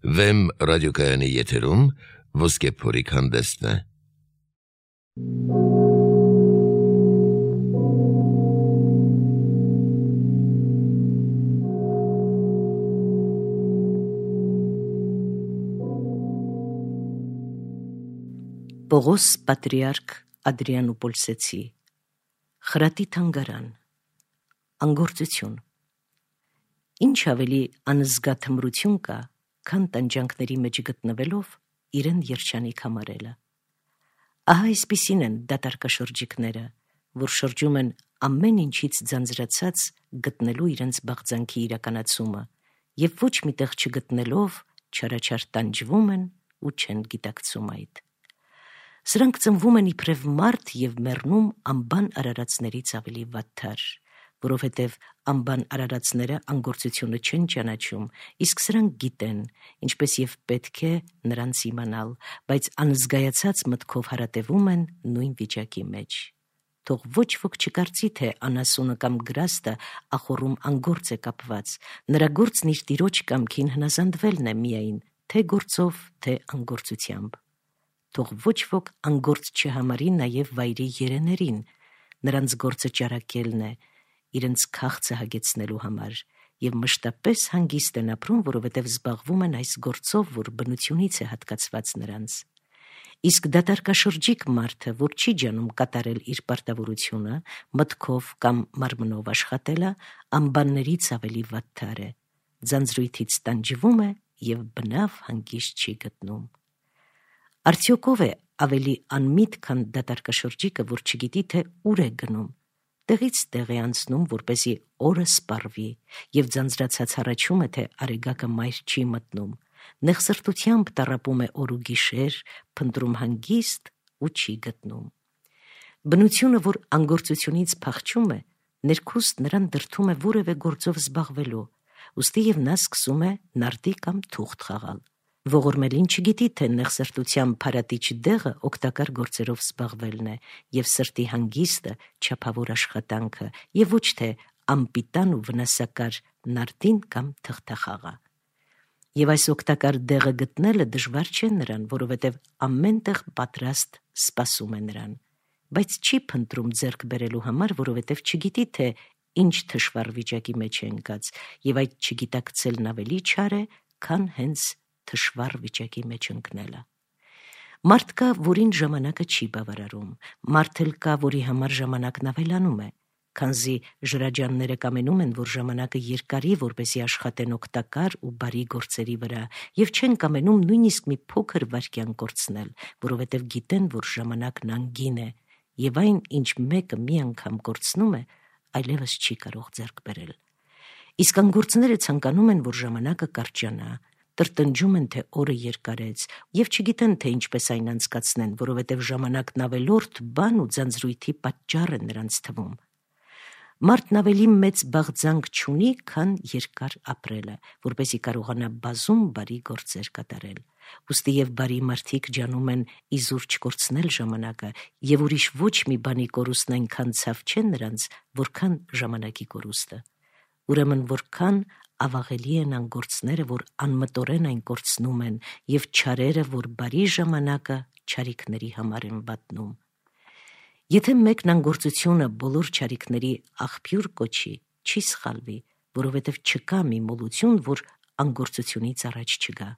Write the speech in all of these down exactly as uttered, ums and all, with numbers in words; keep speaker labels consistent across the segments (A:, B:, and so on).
A: Վեմ ռադիոկայանի եթերում ոսկե փորիկ հանդեսն է։
B: Պողոս պատրիարք Ադրիանոպոլսեցի խրատի թանգարան անգործություն ինչ ավելի անզգա թմրություն կա, քան տանջանքների մեջ գտնվելով իրեն երջանիկ համարելը։ Ահա այսպիսին են դատարկաշրջիկները, որ շրջում են ամեն ինչից ձանձրացած գտնելու իրենց բաղձանքի իրականացումը և ոչ միտեղ չգտնելով չարաչար տանջվում են ու չեն գիտակցում այդ։ Սրանք ծնվում են իբրև մարդ և մեռնում անբան արարածներից ավելի վատթար, որովհետև անբան արարածները անգործությունը չեն ճանաչում, իսկ սրանք գիտեն, ինչպես և պետք է նրանց իմանալ, բայց անզգայացած մտքով հարատևում են նույն վիճակի մեջ։ Թող ոչ ոք չկարծի, թե անասունը կամ գրաստը ախոռում անգործ է կապված, նրա գործն իր տիրոջ կամքին հնազանդվելն է միայն, թե գործով, թե անգործությամբ։ Թող ոչ ոք անգործ չհամարի նաև վայրի երեներին, նրանց գործը ճարակելն է, իրենց քաղցը հագեցնելու համար, և մշտապես հանգիստ են ապրում, որովհետև զբաղվում են այս գործով, որ բնությունից է հատկացված նրանց։ Իսկ դատարկաշրջիկ մարդը, որ չի ջանում կատարել իր պարտավորությունը, մտքով կամ մարմնով աշխատելը, անբաններից ավելի վատթար է, ձանձրույթից տանջվում է և բնավ հանգիստ չի գտնում։ Արդյոք ով է ավելի անմիտ, քան դատարկաշրջիկը, որ չգիտի, թե ուր է գնում, տեղից տեղ է անցնում, որպեսզի օրը սպառվի, և ձանձրացած հառաչում է, թե արեգակը մայր չի մտնում, նեղսրտությամբ տառապում է օր ու գիշեր, փնտրում հանգիստ ու չի գտնում։ Բնությունը, որ անգործությունից փախչում է, ներքուստ նրան դրդում է որևէ գործով զբաղվելու, ուստի և նա սկսում է նարդի կամ թուղթ խաղալ։ Ողորմելին չգիտի, թե նեղսրտության փարատիչ դեղը օգտակար գործերով զբաղվելն է և սրտի հանգիստը չափավոր աշխատանքը, և ոչ թե անպիտան ու վնասակար նարդին կամ թղթախաղը։ Եվ այս օգտակար դեղը գտնելը դժվար չէ նրան, որովհետև ամեն տեղ պատրաստ սպասում է նրան, բայց չի փնտրում ձեռք բերելու համար, որովհետև չգիտի, թե ինչ թշվառ վիճակի մեջ է ընկած, և այդ չգիտակցելն ավելի չար է, քան հենց թշվառ վիճակի մեջ ընկնելը։ Մարդ կա, որին ժամանակը չի բավարարում, մարդ էլ կա, որի համար ժամանակն ավելանում է, քանզի ժրաջանները կամենում են, որ ժամանակը երկարի, որպեսզի աշխատեն օգտակար ու բարի գործերի վրա, և չեն կամենում նույնիսկ մի փոքր վայրկյան կորցնել, որովհետև գիտեն, որ ժամանակն անգին է, և այն, ինչ մեկը մի անգամ կորցնում է, այլևս չի կարող ձեռք բերել։ Իսկ անգործները ցանկանում են, որ ժամանակը կարճանա, տրտնջում են, թե օրը երկարեց, և չգիտեն, թե ինչպես այն անցկացնեն, որովհետև ժամանակն ավելորդ բան ու ձանձրույթի պատճառ է նրանց թվում։ Մարդն ավելի մեծ բաղձանք չունի, քան երկար ապրելը, որպեսզի կարողանա բազում բարի գործեր կատարել։ Ուստի և բարի մարդիկ ջանում են իզուր չկորցնել ժամանակը, և ուրիշ ոչ մի բանի կորուստն այնքան ցավ չէ նրանց, որքան ժամանակի կորուստը։ Ուրեմն որքան ավաղելի են անգործները, որ անմտորեն այն կորցնում են, և չարերը, որ բարի ժամանակը չարիքների համար են վատնում։ Եթե մեկն անգործությունը բոլոր չարիքների աղբյուր կոչի, չի սխալվի, որովհետև չկա մի մոլություն, որ անգործությունից առաջ չգա։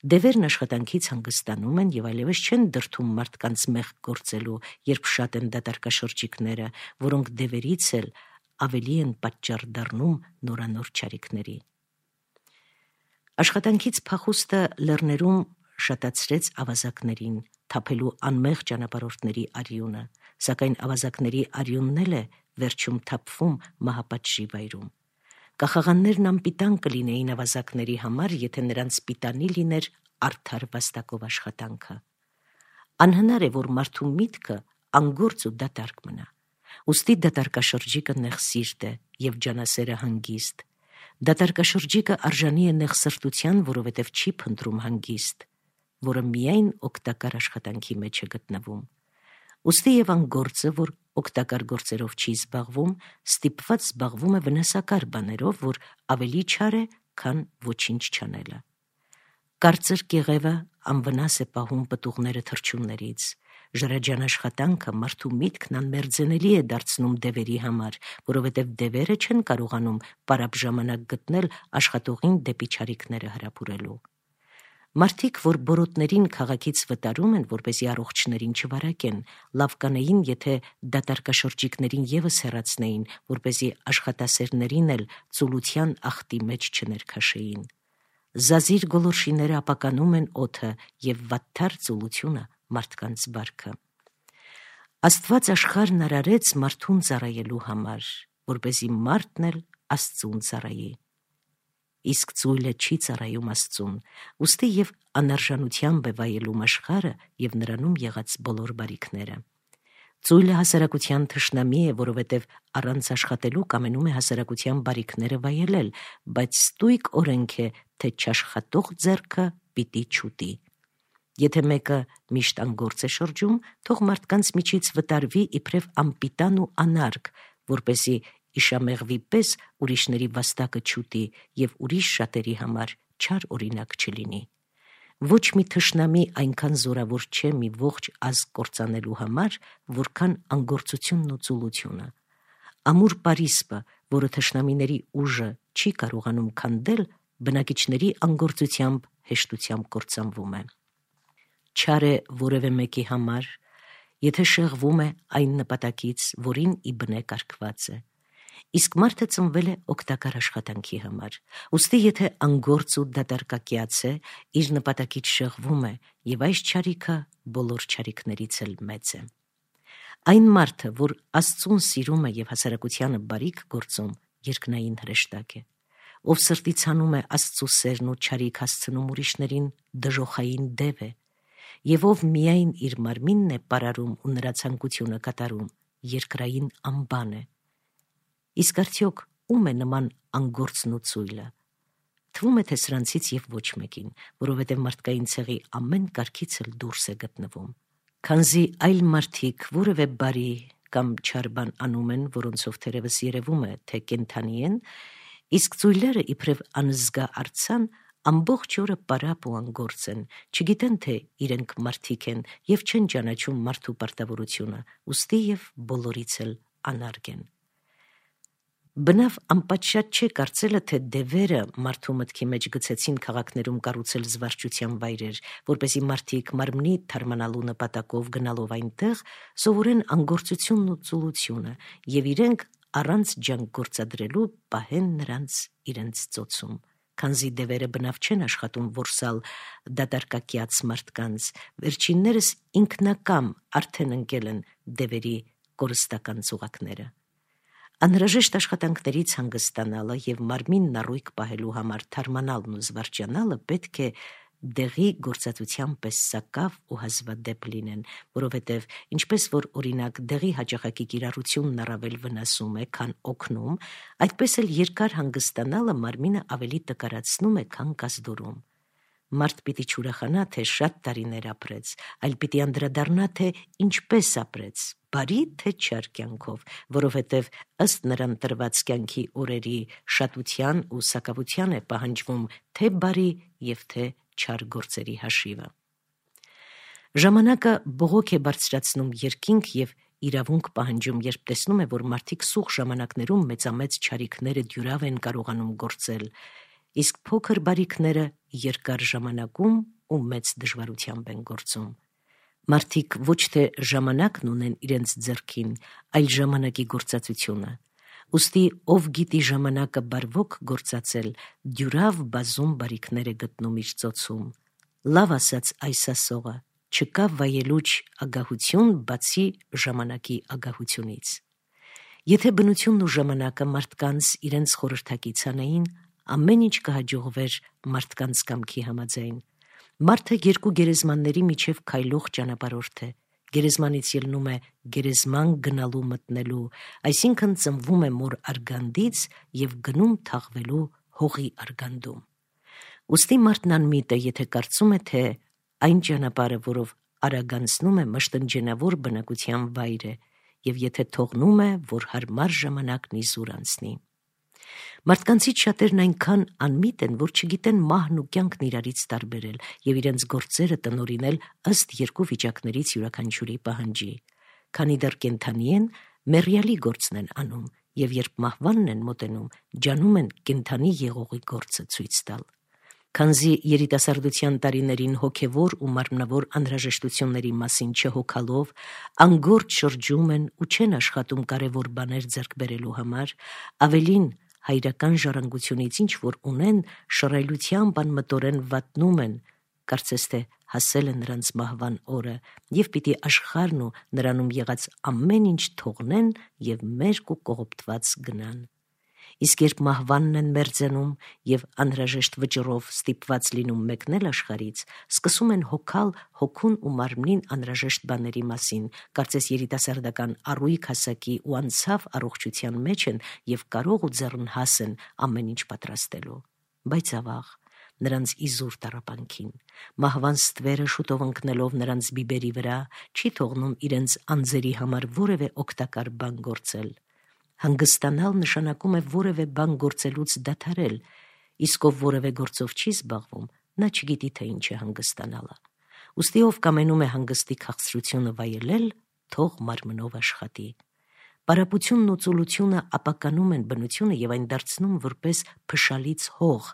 B: Դևերն աշխատանքից հանգստանում են և այլևս չեն դրդում մարդկանց մեղք գործելու, երբ շատ են դատարկաշրջիկները, որոնք դևերից էլ ավելի են պատճառ դառնում նորանոր չարիքների։ Աշխատանքից փախուստը լեռներում շատացրեց ավազակներին, թափելու անմեղ ճանապարհորդների արյունը, սակայն ավազակների արյունն էլ է վերջում թափվում մահապատժի վայրում։ Կախաղաններն անպիտան կլինեին ավազակների համար, եթե նրանց պիտանի լիներ արդար վաստակով աշխատանքը։ Անհնար է, որ մարդու միտքը անգործ ու դատարկ մնա։ Ուստի դատարկաշրջիկը նեղսիրտ է և ջանասերը հանգիստ։ Դատարկաշրջիկը արժանի է նեղսրտության, որովհետև չի փնտրում հանգիստ, որը միայն օգտակար աշխատանքի մեջ է գտնվում։ Ուստի և անգործը, որ օգտակար գործերով չի զբաղվում, ստիպված զբաղվում է վնասակար բաներով, որ ավելի չար է, քան ոչինչ չանելը։ Կարծր կեղևը անվնաս է պահում պտուղները թռչուններից։ Ժրաջան աշխատանքը մարդու միտքն անմերձենելի է դարձնում դևերի համար, որովհետև դևերը չեն կարողանում պարապ ժամանակ գտնել աշխատողին դեպի չարիքները հրապուրելու։ Մարդիկ, որ բորոտներին քաղաքից վտարում են, որպեսզի առողջներին չվարակեն, լավ կանեին, եթե դատարկաշրջիկներին ևս հեռացնեին, որպեսզի աշխատասերներին էլ ծուլության աղտի մեջ չներքաշեին։ Զազիր գոլորշիները ապականում են օդը և վատթար ծուլությունը մարդկանց բարքը։ Աստված աշխարհն արարեց մարդուն ծառայելու համար, որպեսզի մարդն էլ Աստծուն ծառայի։ Իսկ ծույլը չի ծառայում Աստծուն, ուստի և անարժանությամբ է վայելում աշխարհը և նրանում եղած բոլոր բարիքները։ Ծույլը հասարակության թշնամի է, որովհետև առանց աշխատելու կամենում է հասարակության բարիքները վայելել, բայց ստույգ օրենք է, թե չաշխատող ձեռքը պիտի չուտի։ Եթե մեկը միշտ անգործ է շրջում, թող մարդկանց միջից վտարվի իբրև անպիտան ու անարգ, որպեսզի իշամեղվի պես ուրիշների վաստակը չուտի և ուրիշ շատերի համար չար օրինակ չլինի։ Ոչ մի թշնամի այնքան զորավոր չէ մի ողջ ազգ կործանելու համար, որքան անգործությունն ու ծուլությունը։ Ամուր Պարիսպը, որը թշնամիների ուժը չի կարողանում քանդել, բնակիչների անգործությամբ հեշտությամբ կործանվում է։ Չար է որևէ մեկի համար, եթե շեղվում է այն նպատակից, որին ի բնե կարգված է։ Իսկ մարդը ծնվել է օգտակար աշխատանքի համար, ուստի եթե անգործ ու դատարկակյաց է, իր նպատակից շեղվում է, և այս չարիքը բոլոր չարիքներից էլ մեծ է։ Այն մարդը, որ Աստծուն սիրում է և հասարակությանը բարիք գործում, երկնային հրեշտակ է, ով սրտից հանում է Աստծու սերն ու չարիք հասցնում ուրիշներին, դժոխային դև է, և ով միայն իր մարմինն է պարարում ու նրա ցանկությունը կատարում, երկրային ամբան է։ Իսկ արդյոք ում է նման անգործն ու ծույլը։ Թվում է, թե սրանցից և ոչ մեկին, որովհետև մարդկային ցեղի ամեն կարգից էլ դուրս է գտնվում։ Քանզի այլ մարդիկ որևէ բարի կամ չար բան անում են, որոնցով թերևս երևում է, թե կենդանի են, իսկ ծույլերը իբրև անզգա արձան ամբողջ օրը պարապ ու անգործ են, չգիտեն, թե իրենք մարդիկ են և չեն ճանաչում մարդու պարտավորությունը, ուստի և բոլորից էլ անարգ են։ Բնավ անպատշաճ չէ կարծելը, թե դևերը մարդու մտքի մեջ գցեցին քաղաքներում կառուցել զվարճության վայրեր, որպեսզի մարդիկ մարմնի թարմանալու նպատակով գնալով այնտեղ սովորեն անգործությունն ու ծուլությունը և իրենք առանց ջանք գործադրելու պահեն նրանց իրենց ծոցում։ Քանզի դևերը բնավ չեն աշխատում որսալ դատարկակյաց մարդկանց, վերջիններս ինքնակամ արդեն ընկել են դևերի կորստական ծուղակները։ Անհրաժեշտ աշխատանքներից հանգստանալը և մարմինն առույգ պահելու համար թարմանալն ու զվարճանալը պետք է դեղի գործածության պես սակավ ու հազվադեպ լինեն, որովհետև ինչպես որ օրինակ դեղի հաճախակի կիրառությունն առավել վնասում է, քան օգնում, այդպես էլ երկար հանգստանալը մարմինը ավելի տկարացնում է, քան կազդուրում։ Մարդ պիտի չուրախանա, թե շատ տարիներ ապրեց, այլ պիտի անդրադառնա, թե ինչպես ապրեց, բարի թե չար կյանքով, որովհետև ըստ նրան տրված կյանքի օրերի շատության ու սակավության է պահանջվում թե բարի և թե չար գործերի հաշիվը։ Ժամանակը բողոք է բարձրացնում երկինք և իրավունք պահանջում, երբ տեսնում է, որ մարդիկ սուղ ժամանակներում մեծամեծ չարիքները դյուրավ են կարողանում գործել, իսկ փոքր բարիքները երկար ժամանակում ու մեծ դժվարությամբ են գործում։ Մարդիկ ոչ թե ժամանակն ունեն իրենց ձեռքին, այլ ժամանակի գործածությունը։ Ուստի ով գիտի ժամանակը բարվոք գործածել, դյուրավ բազում բարիքներ է գտնում իր ծոցում։ Լավ ասաց այս ասողը, չկա վայելուչ ագահություն, բացի ժամանակի ագահությունից։ Եթե բնությունն ու ժամանակը մարդկանց իրենց խորհրդակից անեին, ամեն ինչ կհաջողվեր մարդկանց կամքի համաձայն։ Մարդը երկու գերեզմանների միջև քայլող ճանապարհորդ է։ Գերեզմանից ելնում է գերեզման գնալու մտնելու, այսինքն ծնվում է մոր արգանդից և գնում թաղվելու հողի արգանդում։ Ուստի մարդն անմիտ է, եթե կարծում է, թե այն ճանապարհը, որով արագանցնում է, մշտնջենավոր բնակության վայր է, և եթե թողնում է, որ հարմար ժամանակն իզուր անցնի։ Մարդկանցից շատերն այնքան անմիտ են, որ չգիտեն մահն ու կյանքն իրարից տարբերել եւ իրենց գործերը տնօրինել ըստ երկու վիճակներից յուրաքանչյուրի պահանջի։ Քանի դեռ կենդանի են, մեռյալի գործն են անում եւ երբ մահվանն են մոտենում, ջանում են կենդանի եղողի գործը ցույց տալ։ Քանզի երիտասարդության տարիներին հոգևոր ու մարմնավոր անհրաժեշտությունների մասին չհոգալով, անգործ շրջում են ու չեն աշխատում կարևոր բաներ ձեռք բերելու համար, ավելին հայրական ժառանգությունից ինչ որ ունեն, շռայլությամբ անմտորեն վատնում են, կարծես թե հասել է նրանց մահվան օրը, եւ պիտի աշխարհն ու նրանում եղած ամեն ինչ թողնեն եւ մերկ ու կողոպտված գնան։ Իսկ երբ մահվանն են մերձենում եւ անհրաժեշտ վճռով ստիպված լինում մեկնել աշխարից, սկսում են հոգալ հոգուն ու մարմնին անհրաժեշտ բաների մասին, կարծես երիտասարդական առույգ հասակի ու անցավ առողջության մեջ են եւ կարող ու ձեռնհաս են ամեն ինչ պատրաստելու։ Բայց ավաղ, նրանց իզուր տառապանքին, մահվան ստվերը շուտով ընկնելով նրանց բիբերի վրա, չի թողնում իրենց անձերի համար որևէ օգտակար բան գործել։ Հանգստանալ նշանակում է որևէ բան գործելուց դադարել, իսկ ով որևէ գործով չի զբաղվում, նա չգիտի, թե ինչ է հանգստանալը։ Ուստի ով կամենում է հանգստի քաղցրությունը վայելել, թող մարմնով աշխատի։ Պարապությունն ու ծուլությունը ապականում են բնությունը եւ այն դարձնում որպես փշալից հող,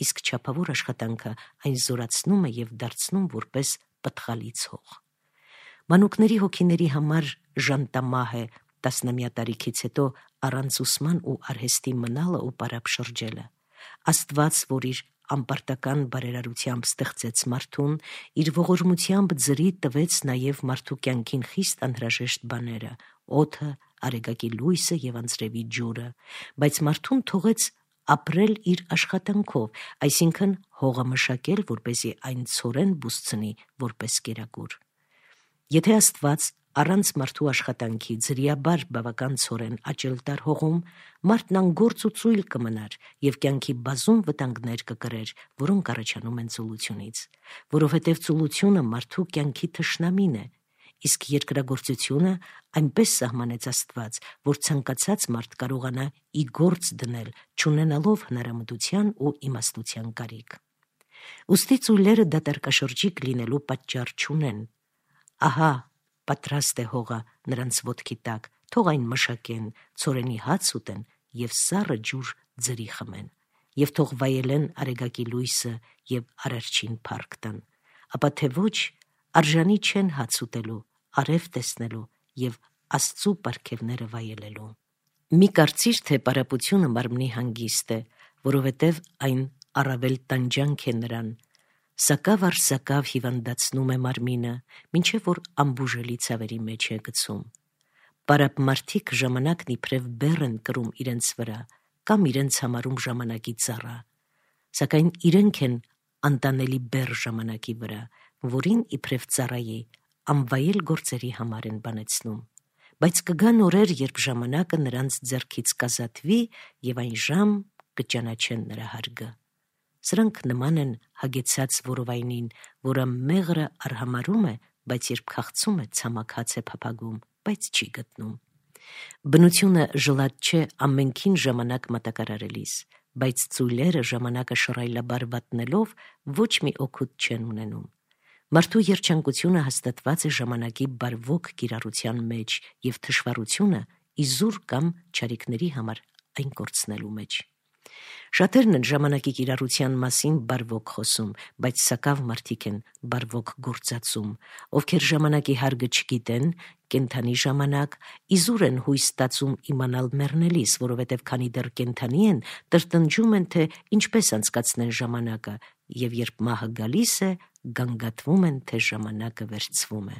B: իսկ չափավոր աշխատանքը այն զորացնում է եւ դարձնում որպես պտղալից հող։ Մանուկների հոգիների համար ժանտամահ է տասնամյա տարիքից հետո առանց ուսման ու արհեստի մնալը ու պարապ շրջելը։ Աստված, որ իր անպարտական բարերարությամբ ստեղծեց մարդուն, իր ողորմությամբ ձրի տվեց նաև մարդու կյանքին խիստ անհրաժեշտ բաները՝ օդը, արեգակի լույսը եւ անձրևի ջուրը, բայց մարդուն թողեց ապրել իր աշխատանքով, այսինքն հողը մշակել, որպեսզի այն ցորեն բուսցնի որպես կերակուր։ Եթե Աստված առանց մարդու աշխատանքի ձրիաբար բավական ցորեն աճել տար հողում, մարդն անգործ ու ծույլ կմնար եւ կյանքի բազում վտանգներ կկրեր, որոնք առաջանում են ծուլությունից, որովհետեւ ծուլությունը մարդու կյանքի թշնամին է, իսկ երկրագործությունը այնպես սահմանեց Աստված, որ ցանկացած մարդ կարողանա ի գործ դնել, չունենալով հնարամտության ու իմաստության կարիք։ Ուստի ծույլերը դատարկաշրջիկ լինելու պատճառ չունեն։ Ահա պատրաստ է հողը նրանց ոտքի տակ, թող այն մշակեն, ցորենի հաց ուտեն եւ սառը ջուր ձրի խմեն, եւ թող վայելեն արեգակի լույսը եւ արարչին փառք տան, ապա թե ոչ արժանի չեն հաց ուտելու, արև տեսնելու եւ Աստծու պարգևները վայելելու։ Մի կարծիր, թե պարապությունը մարմնի հանգիստ է, որովհետև այն առավել տանջանք է նրան, սակավ առ սակավ հիվանդացնում է մարմինը, մինչև որ ամբուժելի ցավերի մեջ է գցում։ Պարապ մարդիկ ժամանակն իբրև բեռ են կրում իրենց վրա կամ իրենց համարում ժամանակի ծառա, սակայն իրենք են անտանելի բեռ ժամանակի վրա, որին իբրև ծառայի անվայել գործերի համար են բանեցնում։ Բայց կգան օրեր, երբ ժամանակը նրանց ձեռքից կազատվի եւ այն ժամ կճանաչեն նրա հարգը։ Սրանք նման են հագեցած որովայնին, որը մեղրը արհամարում է, բայց երբ քաղցում է, ցամաքած է փափագում, բայց չի գտնում։ Բնությունը ժլատ չէ ամենքին ժամանակ մատակարարելիս, բայց ծույլերը ժամանակը շռայլաբար վատնելով ոչ մի օգուտ չեն ունենում։ Մարդու երջանկությունը հաստատված է ժամանակի բարվոք կիրառության մեջ եւ թշվառությունը իզուր կամ չարիքների համար այն կորցնելու մեջ։ Շատերն են ժամանակի կիրառության մասին բարվոք խոսում, բայց սակավ մարդիկ են բարվոք գործածում, ովքեր ժամանակի հարգը չգիտեն, կենդանի ժամանակ, իզուր են հույս ստացում իմանալ մեռնելիս, որովհետև քանի դեռ կենդանի են, տրտնջում են, թե ինչպես անցկացնեն ժամանակը, եւ երբ մահը գալիս է, գանգատվում են, թե ժամանակը վերցվում է։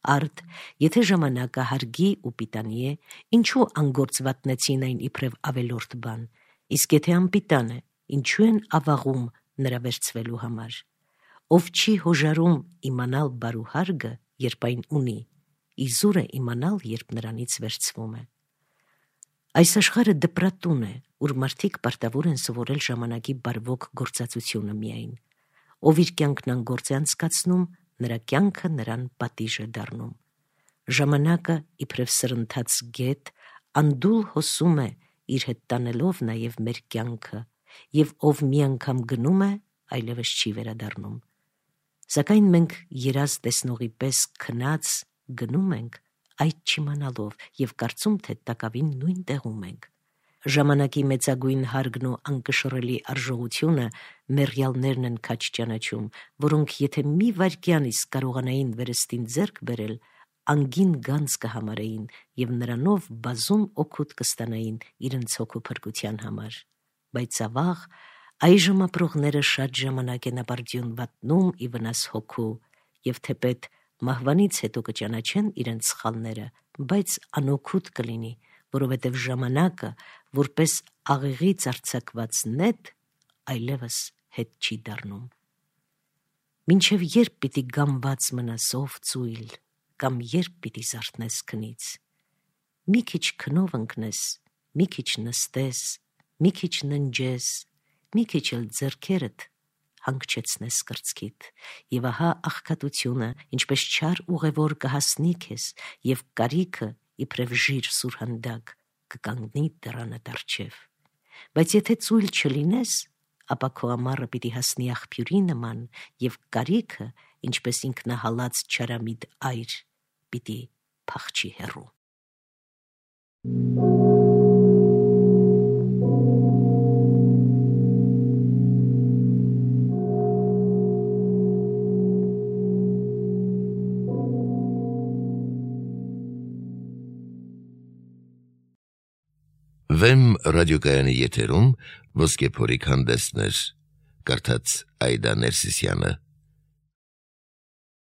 B: Արդ, եթե ժամանակը հարգի ու պիտանի է, ինչու անգործվատնեցին այն իբրև ավելորդ բան, իսկ եթե անպիտան է, ինչու են ավաղում նրա վերցվելու համար։ Ով չի հոժարում իմանալ բարու հարգը, երբ այն ունի, իզուր է իմանալ, երբ նրանից վերցվում է։ Այս աշխարհը դպրատուն է, ուր մարդիկ պարտավոր են սովորել ժամանակի բարվոք գործածությունը միայն։ Ով իր կյանքն անգործ է անցկացնում, նրա կյանքը նրան պատիժ է դառնում։ Ժամանակը, իբրև սրընթաց գետ, անդուլ հոսում է իր հետ տանելով նաև մեր կյանքը, և ով մի անգամ գնում է, այլևս չի վերադառնում։ Սակայն մենք երազ տեսնողի պես քնած գնում ենք, այդ չիմանալով և կարծում, թե տակավին նույն տեղում ենք։ Ժամանակի մեծագույն հարգն ու անկշռելի արժողությունը մեռյալներն են քաջ ճանաչում, որոնք եթե մի վայրկյան իսկ կարողանային վերստին ձեռք բերել, անգին գանձ կհամարեին և նրանով բազում օգուտ կստանային իրենց հոգու փրկության համար։ Բայց ավաղ այժմ ապրողները շատ ժամանակ են ապարդյուն վատնում ի վնաս հոգու, և թեպետ մահվանից հետո կճանաչեն իրենց սխալները, բայց անօգուտ կլինի, որովհետև ժամանակը, որպես աղեղից արձակված նետ, այլևս հետ չի դառնում։ Մինչև երբ պիտի գամված մնաս, ով ծույլ, կամ երբ պիտի զարթնես քնից։ Մի քիչ քնով ընկնես, մի քիչ նստես, մի քիչ ննջես, մի քիչ էլ ձեռքերդ հանգչեցնես կրծքիդ, և ահա աղքատությունը, ինչպես չար ուղևոր կհասնի քեզ, և կարիքը, իբրև ժիր սուրհանդակ, կկանգնի դռանդ առջև։ Բայց եթե ծույլ չլինես, ապա քո ամառը պիտի հասնի աղբյուրի նման, և կարիքը, ինչպես ինքնահալած չարամիտ այր, պիտի փախչի հեռու։
A: Վեմ ռադիոկայանի եթերում Ոսկե փորիկ հանդեսներ, կարդաց Այդա Ներսիսյանը։